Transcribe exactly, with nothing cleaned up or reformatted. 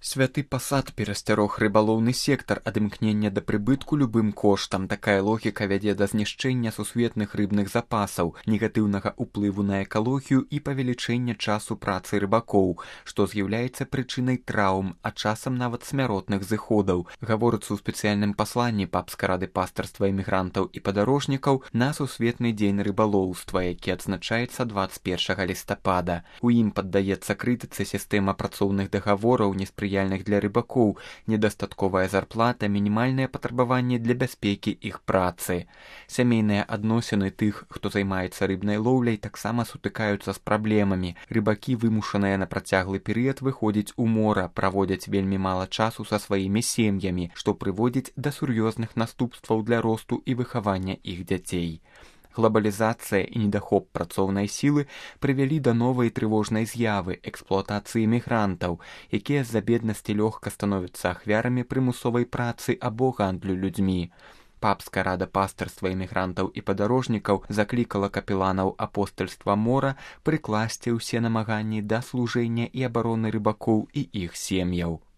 Святы пасад перасцярог рыбалоўны сектар ад імкнення да прыбытку любым коштам. Такая логіка вядзе да знішчэння сусветных рыбных запасаў, негатыўнага ўплыву на экалогію і павелічэння часу працы рыбакоў, што з'яўляецца прычынай траўм, а часам нават смяротных зыходаў. Гаворыцца ў спецыяльным пасланні папскай рады пастарства эмігрантаў і падарожнікаў на сусветны дзень рыбалоўства, які адзначаецца дваццаць першага лістапада. У ім паддаецца крытыцы сістэма працоўных дагавораў, неспрыяльных для рыбакоў, недастатковая зарплата, мінімальныя патрабаванні для бяспекі іх працы. Сямейныя адносіны тых, хто займаецца рыбнай лоўляй, таксама сутыкаюцца з праблемамі. Рыбакі, вымушаныя на працяглы перыяд выходзіць у мора, праводзяць вельмі мала часу са сваімі сем'ямі, што прыводзіць да сур'ёзных наступстваў для росту і выхавання іх дзяцей. Глобалізацыя і недахоп працоўнай сілы прывялі да новай трывожнай з'явы эксплуатацыі мігрантаў, якія з-за беднасці лёгка становяцца ахвярамі прымусовай працы або гандлю людзьмі. Папская рада пастарства эмігрантаў і падарожнікаў заклікала капеланаў апостальства мора прыкласці ўсе намаганні да служэння і абароны рыбакоў і іх сем'яў.